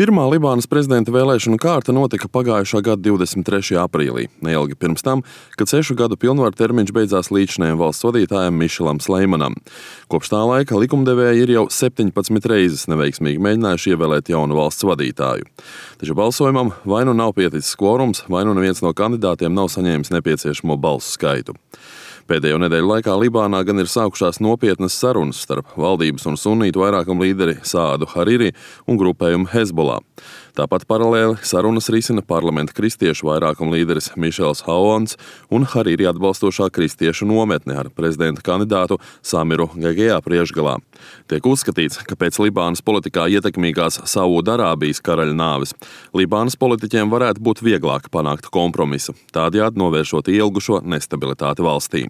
Pirmā Libānas prezidenta vēlēšanu kārta notika pagājušā gada 23. aprīlī, neilgi pirms tam, kad 6 gadu pilnvaru termiņš beidzās līdzinējiem valsts vadītājam Mišelam Sleimanam. Kopš tā laika likumdevēji ir jau 17 reizes neveiksmīgi mēģinājuši ievēlēt jaunu valsts vadītāju. Taču balsojumam vai nu nav pieticis kvorums, vai nu neviens no kandidātiem nav saņēmis nepieciešamo balsu skaitu. Pēdējo nedēļu laikā Libānā gan ir sākušās nopietnas sarunas starp valdības un sunītu vairākumu līderi Saadu Hariri un grupējumu Hezbollah. Tāpat paralēli sarunas risina parlamenta kristiešu vairākumu līderis Mišels Haons un Hariri atbalstošā kristiešu nometne ar prezidenta kandidātu Samiru Gegejā priekšgalā. Tiek uzskatīts, ka pēc Libānas politikā ietekmīgās Saūdarābijas karaļa nāves Libānas politiķiem varētu būt vieglāk panākt kompromisu, tādējādi novēršot ielgušo nestabilitāti valstī.